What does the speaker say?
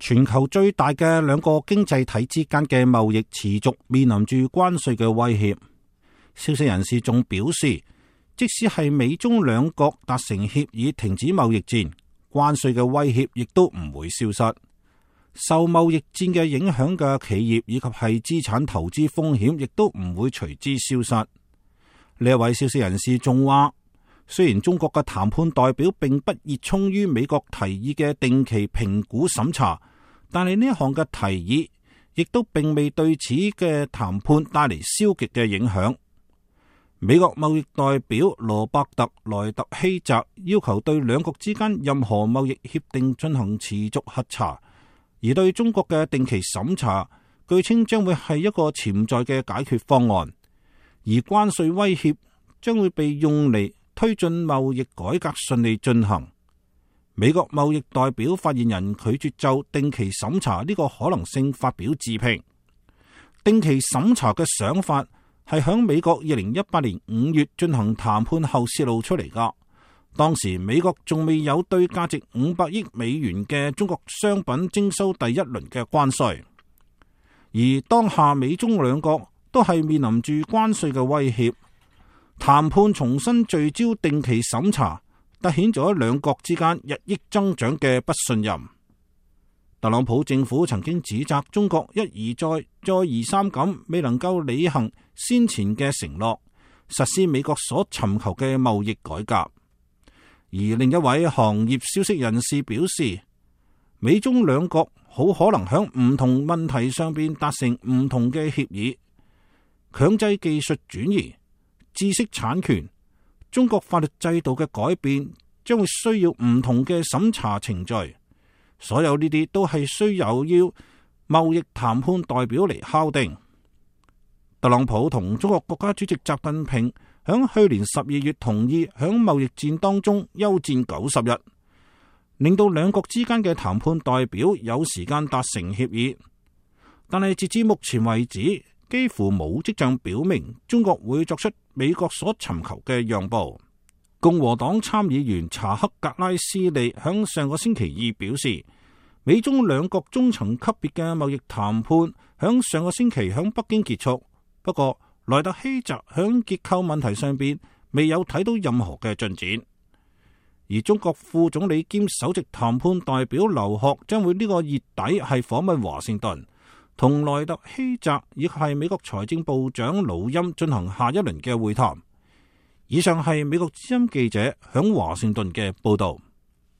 全球最大嘅兩個經濟體之間嘅貿易持續面臨住關稅嘅威脅。消息人士仲表示，即使係美中兩國達成協議停止貿易戰，關稅嘅威脅亦都唔會消失。受貿易戰嘅影響嘅企業以及係資產投資風險亦都唔會隨之消失。呢一位消息人士仲話，雖然中國嘅談判代表並不熱衷於美國提議嘅定期評估審查，但係呢一項嘅提議亦都並未對此嘅談判帶嚟消極嘅影響。美國貿易代表羅伯特萊特希澤要求對兩國之間任何貿易協定進行持續核查，而對中國嘅定期審查，據稱將會係一個潛在嘅解決方案，而關稅威脅將會被用嚟推進貿易改革順利進行。美國貿易代表發言人拒絕就定期審查呢個可能性發表置評。定期審查嘅想法係響美國2018年5月進行談判後泄露出嚟㗎。當時美國仲未有對價值500億美元嘅中國商品徵收第一輪嘅關稅，而當下美中兩國都係面臨住關稅嘅威脅，談判重新聚焦定期審查，凸顯咗兩國之間日益增長嘅不信任。特朗普政府曾經指責中國一而再、再而三咁未能夠履行先前嘅承諾，實施美國所尋求嘅貿易改革。而另一位行業消息人士表示，美中兩國好可能喺唔同問題上邊達成唔同嘅協議，強制技術轉移、知識產權、中國法律制度嘅改變將會需要唔同嘅審查程序。所有呢啲都係需要貿易談判代表嚟敲定。特朗普同中國國家主席習近平響去年12月同意響貿易戰當中休戰90日，令到兩國之間嘅談判代表有時間達成協議。但係截至目前為止，幾乎冇跡象表明中國會作出美國所尋求嘅讓步。共和黨參議員查克格拉斯利響上個星期二表示，美中兩國中層級別嘅貿易談判響上個星期響北京結束，不過萊特希澤響結構問題上邊未有睇到任何嘅進展。而中國副總理兼首席談判代表劉鶴將會呢個月底係訪問華盛頓，同萊特希澤亦係美國財政部長魯欽進行下一輪嘅會談。以上係美國之音記者響華盛頓嘅報道。